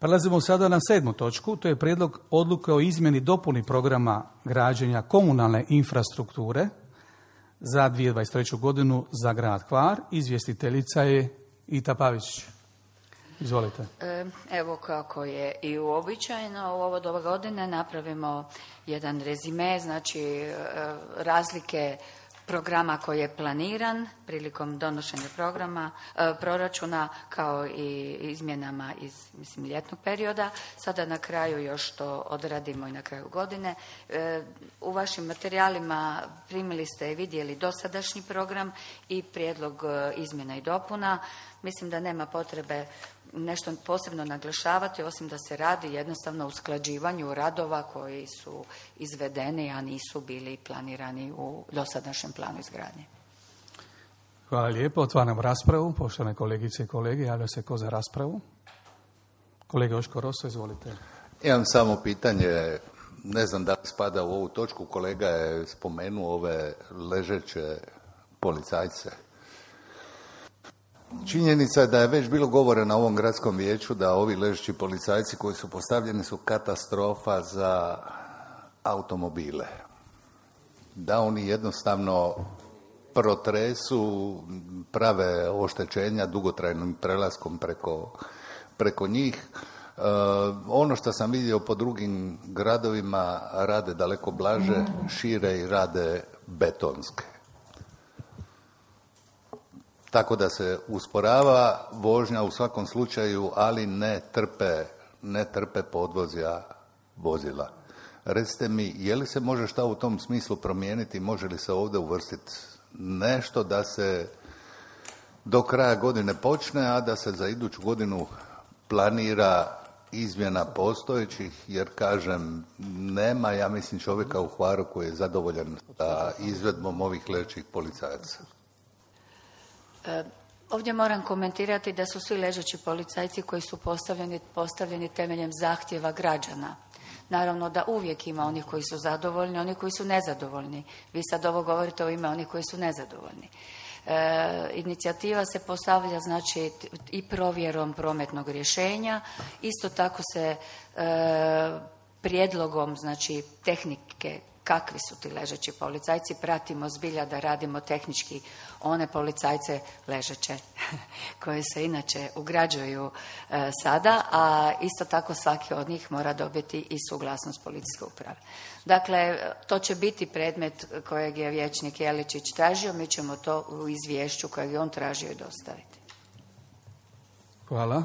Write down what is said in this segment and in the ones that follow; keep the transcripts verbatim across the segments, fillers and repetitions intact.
Prelazimo sada na sedmu točku, to je prijedlog odluke o izmjeni dopuni programa građenja komunalne infrastrukture za dvije tisuće dvadeset treću godinu za grad Hvar. Izvjestiteljica je Ita Pavić. Izvolite. Evo, kako je i uobičajeno, u ovo doba godine napravimo jedan rezime, znači razlike programa koji je planiran prilikom donošenja programa, e, proračuna, kao i izmjenama iz, mislim, ljetnog perioda. Sada na kraju još to odradimo i na kraju godine. E, u vašim materijalima primili ste i vidjeli dosadašnji program i prijedlog e, izmjena i dopuna. Mislim da nema potrebe nešto posebno naglašavati, osim da se radi jednostavno o usklađivanju radova koji su izvedeni, a nisu bili planirani u dosadašnjem planu izgradnje. Hvala lijepo. Otvaram raspravu. Poštovane kolegice i kolege, javlja se ko za raspravu? Kolega Joško Roso, izvolite. Imam samo pitanje, ne znam da li spada u ovu točku, kolega je spomenuo ove ležeće policajce. Činjenica je da je već bilo govore na ovom gradskom vijeću da ovi ležeći policajci koji su postavljeni su katastrofa za automobile. Da oni jednostavno protresu, prave oštećenja dugotrajnim prelaskom preko, preko njih. E, ono što sam vidio po drugim gradovima rade daleko blaže, šire i rade betonske. Tako da se usporava vožnja u svakom slučaju, ali ne trpe, ne trpe podvozja vozila. Recite mi, je li se može šta u tom smislu promijeniti, može li se ovdje uvrstiti nešto da se do kraja godine počne, a da se za iduću godinu planira izmjena postojećih, jer kažem, nema, ja mislim, čovjeka u Hvaru koji je zadovoljan sa izvedbom ovih ležećih policajaca. Ovdje moram komentirati da su svi ležeći policajci koji su postavljeni, postavljeni temeljem zahtjeva građana. Naravno da uvijek ima onih koji su zadovoljni, oni koji su nezadovoljni. Vi sad ovo govorite o ime onih koji su nezadovoljni. E, inicijativa se postavlja, znači, i provjerom prometnog rješenja. Isto tako se e, prijedlogom, znači, tehnike kakvi su ti ležeći policajci, pratimo zbilja da radimo tehnički one policajce ležeće koje se inače ugrađuju e, sada, a isto tako svaki od njih mora dobiti i suglasnost policijske uprave. Dakle, to će biti predmet kojeg je vijećnik Jeličić tražio, mi ćemo to u izvješću kojeg je on tražio i dostaviti. Hvala.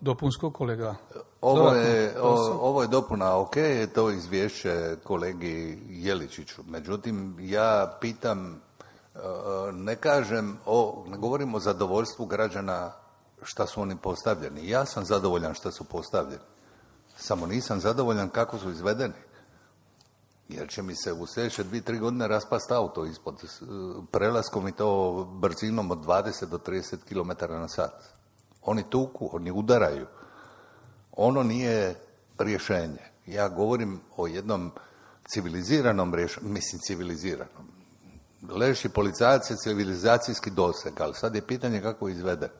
Dopunsko, kolega? Ovo je, o, ovo je dopuna, ok, je to izvješće kolegi Jeličiću. Međutim, ja pitam, ne kažem, o, ne govorim o zadovoljstvu građana šta su oni postavljeni. Ja sam zadovoljan šta su postavljeni. Samo nisam zadovoljan kako su izvedeni. Jer će mi se u sljedeće dvije, tri godine raspast auto ispod prelaskom i to brzinom od dvadeset do trideset kilometara na sat. Oni tuku, oni udaraju. Ono nije rješenje. Ja govorim o jednom civiliziranom rješenju, mislim civiliziranom. Ležeći policajac je civilizacijski doseg, ali sad je pitanje kako izvede.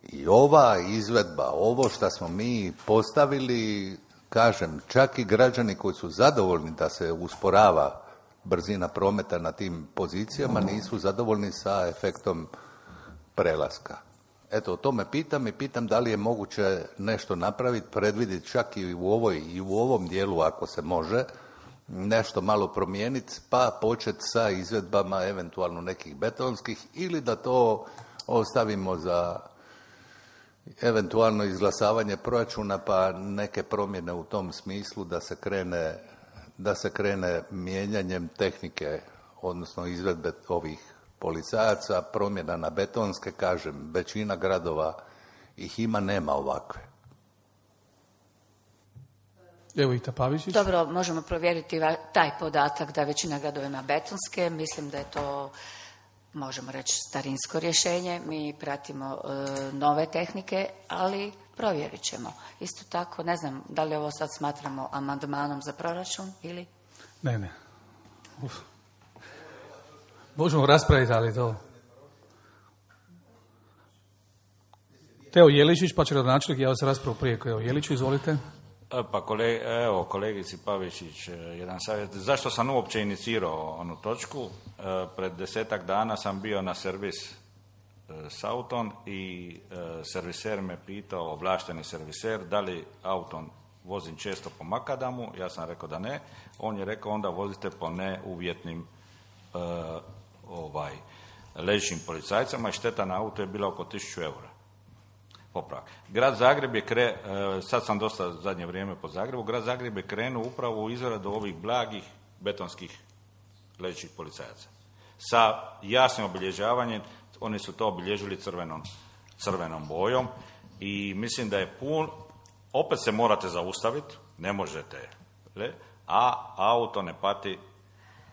I ova izvedba, ovo što smo mi postavili, kažem, čak i građani koji su zadovoljni da se usporava brzina prometa na tim pozicijama, nisu zadovoljni sa efektom prelaska. Eto, o tome pitam i pitam da li je moguće nešto napraviti, predvidjeti čak i u ovoj i u ovom dijelu, ako se može, nešto malo promijeniti, pa početi sa izvedbama eventualno nekih betonskih, ili da to ostavimo za eventualno izglasavanje proračuna, pa neke promjene u tom smislu da se krene, da se krene mijenjanjem tehnike, odnosno izvedbe ovih policajaca, promjena na betonske, kažem, većina gradova ih ima, nema ovakve. Evo Ita Pavićić. Dobro, možemo provjeriti taj podatak da većina gradova ima betonske. Mislim da je to, možemo reći, starinsko rješenje. Mi pratimo e, nove tehnike, ali provjerit ćemo. Isto tako, ne znam da li ovo sad smatramo amandmanom za proračun ili? Ne, ne. Uf. Možemo raspraviti, ali to... Teo Jeličić, pa će gradonačelnik javiti raspravu prije Teo Jeliću, izvolite. Pa koleg, evo, kolegici Pavičić, jedan savjet. Zašto sam uopće inicirao onu točku? Pred desetak dana sam bio na servis s autom i serviser me pitao, ovlašteni serviser, da li autom vozim često po makadamu. Ja sam rekao da ne. On je rekao onda vozite po neuvjetnim uh, ovaj, ležećim policajcama i šteta na auto je bila oko tisuću eura. Popravak. Grad Zagreb je kre, uh, sad sam dosta zadnje vrijeme po Zagrebu, Grad Zagreb je krenuo upravo u izradu ovih blagih betonskih ležećih policajaca. Sa jasnim obilježavanjem, oni su to obilježili crvenom, crvenom bojom i mislim da je pun, opet se morate zaustaviti, ne možete, a auto ne pati,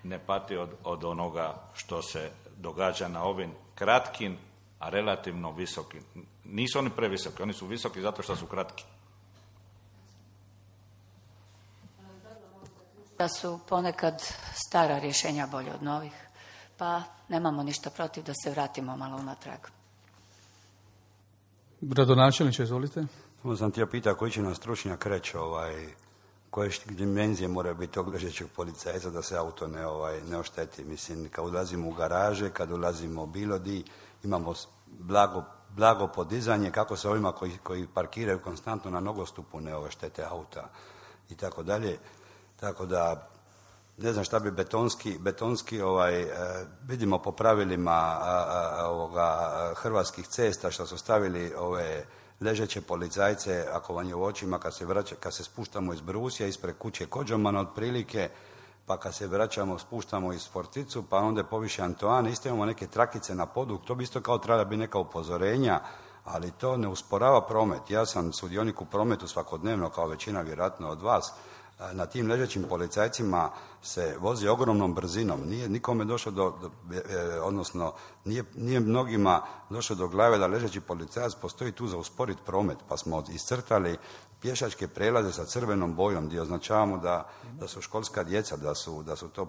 ne pati od, od onoga što se događa na ovim kratkim, a relativno visokim. Nisu oni previsoki, oni su visoki zato što su kratki. Da su ponekad stara rješenja bolje od novih, pa nemamo ništa protiv da se vratimo malo unatrag. Gradonačelniče, izvolite. Ovo sam htio pitati koji će nam stručnjak reći ovaj, koje dimenzije moraju biti tog ležećeg policajca da se auto ne, ovaj, ne ošteti. Mislim, kad ulazimo u garaže, kad ulazimo bilo di, imamo blago, blago podizanje, kako se ovima koji, koji parkiraju konstantno na nogostupu ne oštete auta i tako dalje. Tako da, ne znam šta bi betonski, betonski ovaj, eh, vidimo po pravilima eh, ovoga, hrvatskih cesta što su stavili ove ležeće policajce, ako vam je u očima, kad se, vraća, kad se spuštamo iz Brusija, ispred kuće Kođomana otprilike, pa kad se vraćamo, spuštamo iz Forticu, pa onda poviše Antoane, isto imamo neke trakice na podu, to bi isto kao trebala biti neka upozorenja, ali to ne usporava promet. Ja sam sudionik u prometu svakodnevno, kao većina vjerojatno od vas. Na tim ležećim policajcima se vozi ogromnom brzinom. Nije nikome došlo do, do odnosno nije, nije mnogima došlo do glave da ležeći policajac postoji tu za usporiti promet, pa smo iscrtali pješačke prelaze sa crvenom bojom gdje označavamo da, da su školska djeca, da su, da su to uh,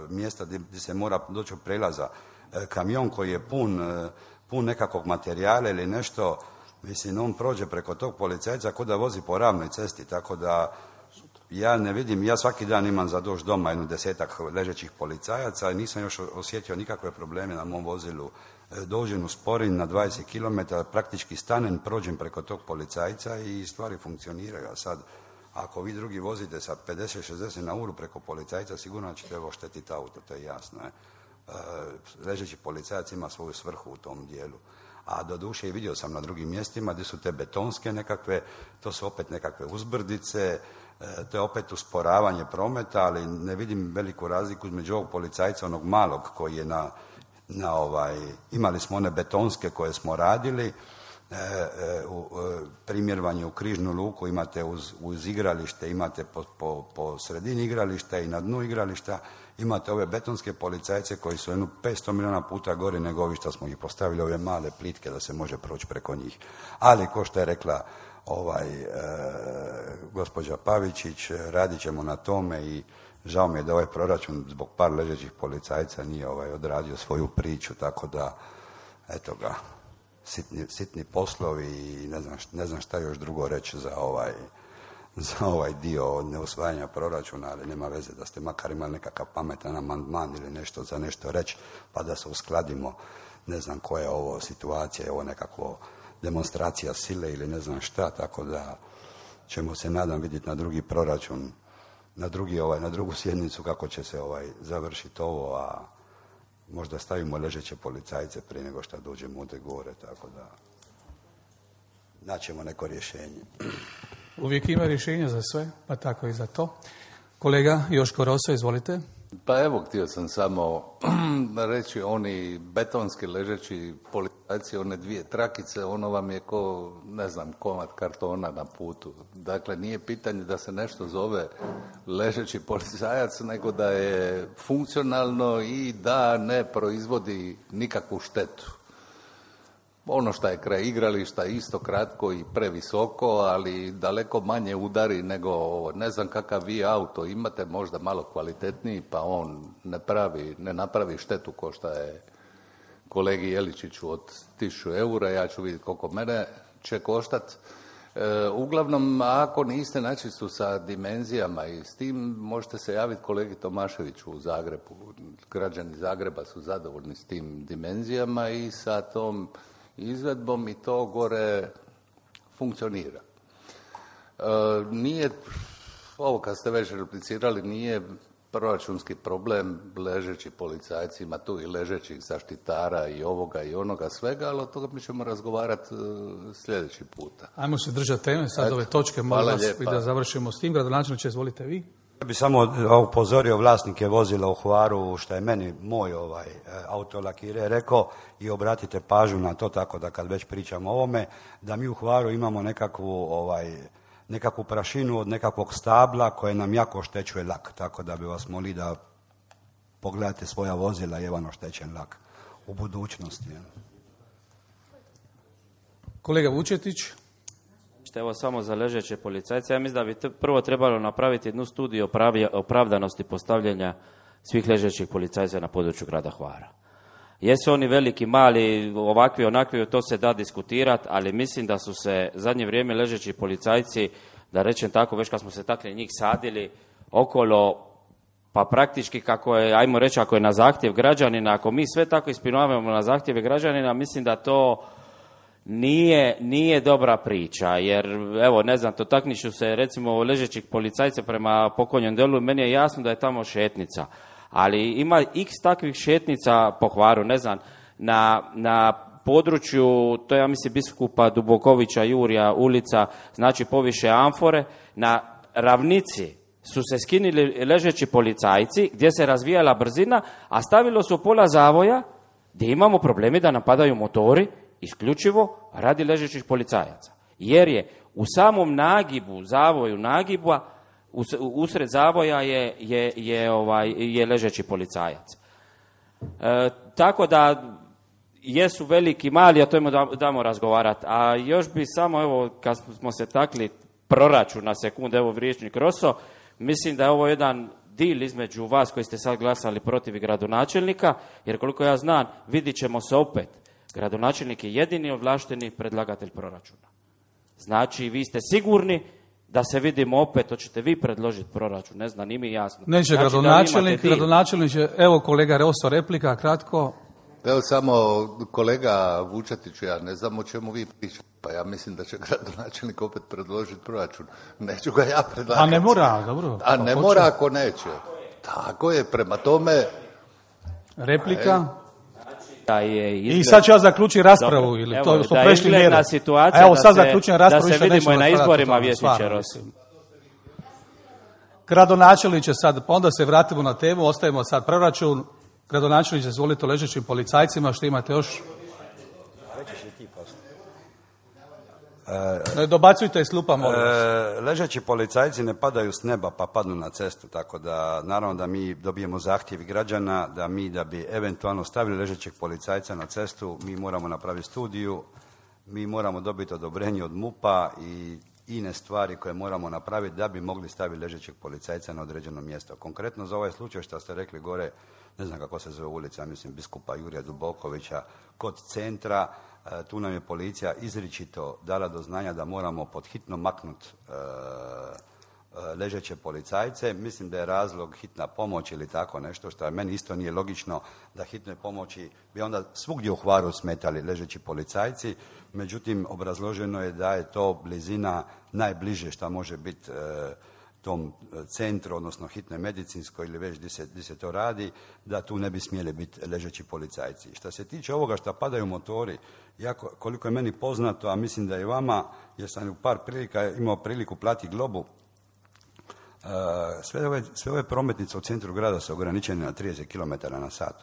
mjesta gdje, gdje se mora doći od prelaza. Uh, kamion koji je pun, uh, pun nekakvog materijala ili nešto, mislim, on prođe preko tog policajca kao da vozi po ravnoj cesti, tako da ja ne vidim, ja svaki dan imam za doći doma jednu desetak ležećih policajaca i nisam još osjetio nikakve probleme na mom vozilu. Dođem u Sporin na dvadeset kilometara, praktički stanem, prođem preko tog policajca i stvari funkcioniraju. A sad, ako vi drugi vozite sa pedeset šezdeset na uru preko policajca, sigurno ćete oštetiti auto, to je jasno. Je. Ležeći policajac ima svoju svrhu u tom dijelu. A doduše i vidio sam na drugim mjestima gdje su te betonske nekakve, to su opet nekakve uzbrdice, to je opet usporavanje prometa, ali ne vidim veliku razliku između ovog policajca, onog malog koji je na, na ovaj, imali smo one betonske koje smo radili, e, e, u, e, primjervanje u križnu luku imate uz, uz igralište, imate po, po, po sredini igrališta i na dnu igrališta, imate ove betonske policajce koji su jedno petsto milijuna puta gori nego ovi što smo ih postavili, ove male plitke da se može proći preko njih. Ali, ko što je rekla ovaj, e, gospođa Pavičić, radit ćemo na tome i žao mi je da ovaj proračun zbog par ležećih policajca nije ovaj, odradio svoju priču, tako da, eto ga, sitni, sitni poslovi i ne znam, ne znam šta još drugo reći za ovaj, za ovaj dio neusvajanja proračuna, ali nema veze da ste makar imali nekakav pametan amandman ili nešto za nešto reći, pa da se uskladimo, ne znam koja je ovo situacija, je ovo nekakvo demonstracija sile ili ne znam šta, tako da ćemo se nadam vidjeti na drugi proračun, na, drugi, ovaj, na drugu sjednicu kako će se ovaj, završiti ovo, a možda stavimo ležeće policajce prije nego što dođemo ovdje gore, tako da naćemo neko rješenje. Uvijek ima rješenja za sve, pa tako i za to. Kolega Joško Roso, izvolite. Pa evo, htio sam samo reći, oni betonski ležeći policajci, one dvije trakice, ono vam je ko, ne znam, komad kartona na putu. Dakle, nije pitanje da se nešto zove ležeći policajac, nego da je funkcionalno i da ne proizvodi nikakvu štetu. Ono što je kraj igrališta isto kratko i previsoko, ali daleko manje udari nego ovo. Ne znam kakav vi auto imate, možda malo kvalitetniji, pa on ne pravi, ne napravi štetu ko što je kolegi Jeličiću od tisuću eura. Ja ću vidjeti koliko mene će koštati. E, uglavnom, ako niste načistu sa dimenzijama i s tim, možete se javiti kolegi Tomaševiću u Zagrebu. Građani Zagreba su zadovoljni s tim dimenzijama i sa tom izvedbom i to gore funkcionira. E, nije, ovo kad ste već replicirali, nije proračunski problem ležeći policajci, ima tu i ležećih zaštitara i ovoga i onoga svega, ali od toga mi ćemo razgovarati uh, sljedeći puta. Ajmo se držati teme, sad ove točke, molim vas i da završimo s tim. Gradonačelniče, izvolite vi. Ja bih samo upozorio vlasnike vozila u Hvaru, što je meni moj ovaj auto lakire rekao, i obratite pažnju na to, tako da kad već pričamo o ovome, da mi u Hvaru imamo nekakvu ovaj nekakvu prašinu od nekakvog stabla koje nam jako oštećuje lak, tako da bi vas molili da pogledate svoja vozila i evan oštećen lak u budućnosti. Kolega Vučetić. Evo samo za ležeće policajce. Ja mislim da bi prvo trebalo napraviti jednu studiju opravdanosti postavljanja svih ležećih policajca na području grada Hvara. Jesu oni veliki, mali, ovakvi, onakvi, to se da diskutirati, ali mislim da su se zadnje vrijeme ležeći policajci, da rečem tako, već kad smo se takli njih sadili okolo, pa praktički kako je, ajmo reći, ako je na zahtjev građanina, ako mi sve tako ispunjavamo na zahtjeve građanina, mislim da to nije, nije dobra priča, jer evo, ne znam, to takniću se recimo ležećih policajca prema pokojnom delu, meni je jasno da je tamo šetnica. Ali ima x takvih šetnica po Hvaru, ne znam, na, na području, to je ja mislim biskupa Dubokovića, Jurija, ulica, znači poviše Amfore, na ravnici su se skinili ležeći policajci gdje se razvijala brzina, a stavilo su pola zavoja gdje imamo problemi da napadaju motori, isključivo radi ležećih policajaca. Jer je u samom nagibu, zavoju nagiba, usred zavoja je, je, je, ovaj, je ležeći policajac. E, tako da jesu veliki, mali, a to im damo razgovarati. A još bi samo, evo, kad smo se takli proračun na sekundu, evo Vriječnik Roso, mislim da je ovo jedan dil između vas koji ste sad glasali protiv gradonačelnika, jer koliko ja znam, vidit ćemo se opet. Gradonačelnik je jedini ovlašteni predlagatelj proračuna. Znači, vi ste sigurni da se vidimo opet, hoćete vi predložiti proračun, ne znam, nije mi jasno. Neće znači, gradonačelnik, gradonačelnik će, evo kolega Roso, replika, kratko. Evo samo kolega Vučetiću, ja ne znam o čemu vi pričate, pa ja mislim da će gradonačelnik opet predložiti proračun. Neću ga ja predlagati. A ne mora, dobro. A ne mora ako neće. Tako je, prema tome... Replika. Da je izgled... I sad ću ja zaključiti raspravu, dobro, ili to smo prešli mjeru. A evo sad zaključujem raspravu. Da se vidimo i na izborima, Vjesniče Rosi. Gradonačelniče sad, pa onda se vratimo na temu, ostavimo sad proračun. Gradonačelniče, izvolite ležećim policajcima, što imate još? Ne dobacujte iz slupa, molim vas. E, ležeći policajci ne padaju s neba pa padnu na cestu, tako da naravno da mi dobijemo zahtjevi građana, da mi da bi eventualno stavili ležećeg policajca na cestu, mi moramo napraviti studiju, mi moramo dobiti odobrenje od MUP-a i ine stvari koje moramo napraviti da bi mogli staviti ležećeg policajca na određeno mjesto. Konkretno za ovaj slučaj što ste rekli gore, ne znam kako se zove ulica, mislim biskupa Jurija Dubokovića, kod centra, tu nam je policija izričito dala do znanja da moramo pod hitno maknuti e, ležeće policajce. Mislim da je razlog hitna pomoć ili tako nešto, što meni isto nije logično da hitnoj pomoći bi onda svugdje u Hvaru smetali ležeći policajci. Međutim, obrazloženo je da je to blizina najbliže što može biti e, tom centru, odnosno hitnoj medicinskoj ili već gdje se, gdje se to radi, da tu ne bi smjeli biti ležeći policajci. Što se tiče ovoga što padaju motori, jako, koliko je meni poznato, a mislim da i vama, jer sam u par prilika imao priliku plati Globu, sve ove, sve ove prometnice u centru grada su ograničene na trideset kilometara na sat.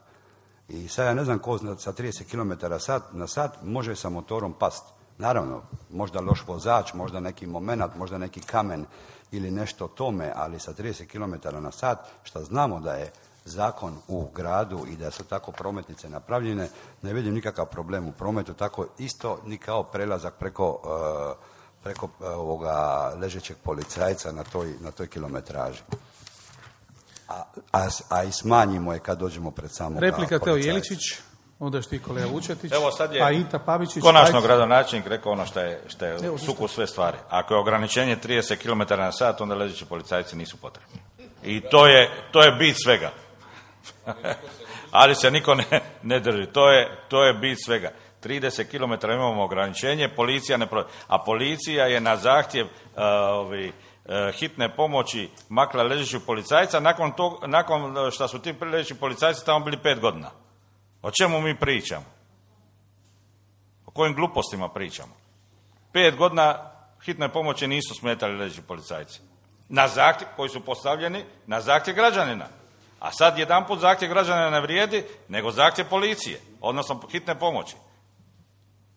I sad ja ne znam ko sa trideset kilometara na sat može sa motorom past. Naravno, možda loš vozač, možda neki momenat, možda neki kamen ili nešto tome, ali sa trideset kilometara na sat, što znamo da je zakon u gradu i da su tako prometnice napravljene, ne vidim nikakav problem u prometu, tako isto ni kao prelazak preko, uh, preko uh, ovoga ležećeg policajca na toj, na toj kilometraži. A, a, a i smanjimo je kad dođemo pred samog policajca. Replika Teo Jeličić. Onda još ti kolega Vučetić, Evo sad je pa Ita Pavičić. konačno ajde. gradonačelnik rekao ono što je, što je Evo, suku sve stvari. Ako je ograničenje trideset kilometara na sat, onda ležeći policajci nisu potrebni. I to je, to je bit svega. Ali se niko ne, ne drži. To je, to je bit svega. trideset kilometara imamo ograničenje, policija ne pro... A policija je na zahtjev uh, ovi, uh, hitne pomoći makla ležećeg policajca nakon, tog, nakon što su ti ležeći policajci tamo bili pet godina. O čemu mi pričamo? O kojim glupostima pričamo? Pet godina hitne pomoći nisu smetali ležeći policajci. Na zahtjev koji su postavljeni na zahtjev građanina. A sad jedanput zahtjev građanina ne vrijedi, nego zahtjev policije, odnosno hitne pomoći.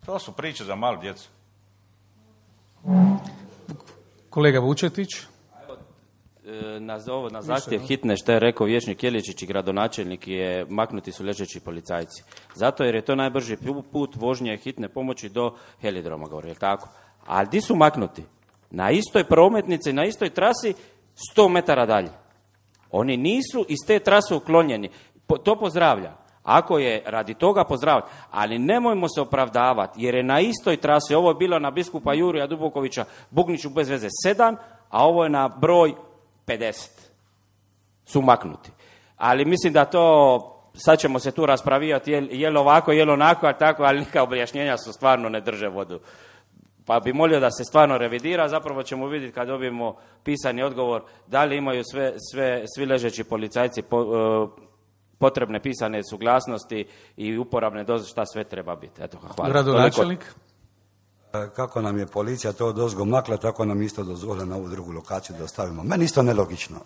To su priče za malu djecu. Kolega Vučetić. Na, ovo, na zahtjev hitne, što je rekao vijećnik Jeličić i gradonačelnik, je maknuti su ležeći policajci. Zato jer je to najbrži put vožnje hitne pomoći do helidroma, govori, je tako? Ali di su maknuti? Na istoj prometnici, na istoj trasi, sto metara dalje. Oni nisu iz te trase uklonjeni. Po, to pozdravljam. Ako je radi toga pozdravljam. Ali nemojmo se opravdavati, jer je na istoj trasi, ovo je bilo na biskupa Jurija Dubokovića, Bugniću bez veze sedam, a ovo je na broj pedeset. Su maknuti. Ali mislim da to, sad ćemo se tu raspravijati, je, je li ovako, je li onako, a tako, ali neka objašnjenja su stvarno ne drže vodu. Pa bi molio da se stvarno revidira, zapravo ćemo vidjeti kad dobijemo pisani odgovor da li imaju sve, sve, svi ležeći policajci po, uh, potrebne pisane suglasnosti i uporabne doze, šta sve treba biti. Eto, hvala. Gradonačelnik. Kako nam je policija to odozgo makla, tako nam isto dozvole na ovu drugu lokaciju da ostavimo. Meni isto nelogično.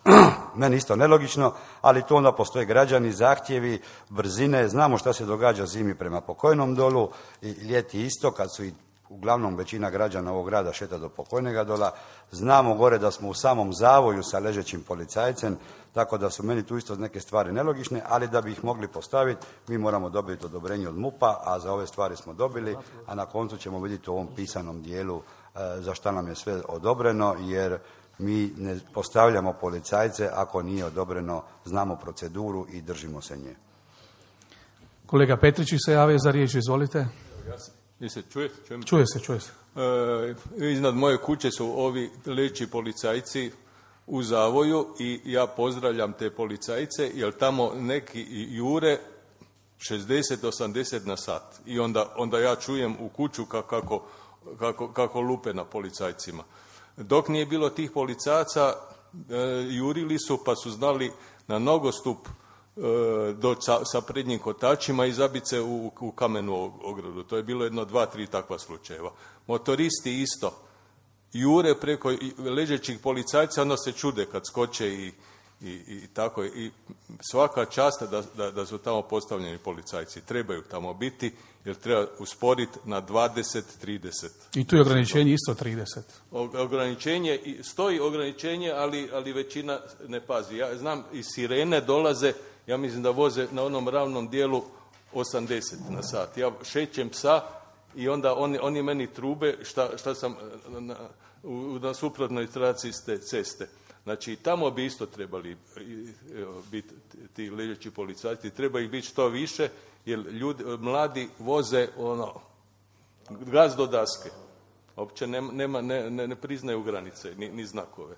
Meni isto nelogično, ali tu onda postoje građani, zahtjevi, brzine. Znamo šta se događa zimi prema Pokojnom dolu i ljeti isto, kad su i uglavnom većina građana ovog grada šeta do Pokojnega dola. Znamo gore da smo u samom zavoju sa ležećim policajcem, tako da su meni tu isto neke stvari nelogične, ali da bi ih mogli postaviti, mi moramo dobiti odobrenje od MUP-a, a za ove stvari smo dobili, a na koncu ćemo vidjeti u ovom pisanom dijelu e, za šta nam je sve odobreno, jer mi ne postavljamo policajce ako nije odobreno, znamo proceduru i držimo se nje. Kolega Petričić se javio za riječ, izvolite. Jel se čuje? Čujem? Čuje se, čuje se. E, iznad moje kuće su ovi ležeći policajci u zavoju i ja pozdravljam te policajce, jer tamo neki jure šezdeset do osamdeset na sat. I onda, onda ja čujem u kuću kako, kako, kako lupe na policajcima. Dok nije bilo tih policajaca, e, jurili su pa su znali na nogostup doći sa, sa prednjim kotačima i zabiti se u, u kamenu ogradu. To je bilo jedno dva, tri takva slučajeva. Motoristi isto jure preko ležećih policajca, onda se čude kad skoče i, i, i tako. I svaka čast da, da, da su tamo postavljeni policajci. Trebaju tamo biti, jer treba usporiti na dvadeset trideset. I tu je ograničenje isto trideset. Ograničenje, stoji ograničenje, ali, ali većina ne pazi. Ja znam, iz sirene dolaze, ja mislim da voze na onom ravnom dijelu osamdeset na sat. Ja šećem psa i onda oni, oni meni trube šta, šta sam na, na suprotnoj traci ste ceste. Znači, tamo bi isto trebali biti ti ležeći policajci. Treba ih biti što više, jer ljudi, mladi voze ono, gaz do daske. Uopće nema, nema, ne, ne, ne priznaju granice, ni, ni znakove.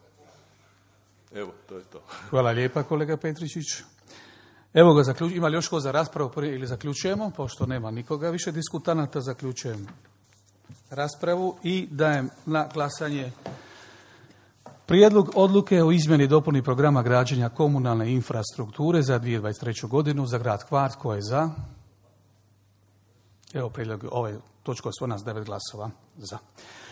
Evo, to je to. Hvala lijepa, kolega Petričić. Evo ga, zaključ... ima li još ko za raspravu prije ili zaključujemo? Pošto nema nikoga više diskutanata, zaključujem raspravu i dajem na glasanje prijedlog odluke o izmjeni i dopuni programa građenja komunalne infrastrukture za dvije tisuće dvadeset treću godinu za grad Hvar. Tko je za? Evo prijedlog, ovaj točka je svoj nas devet glasova za.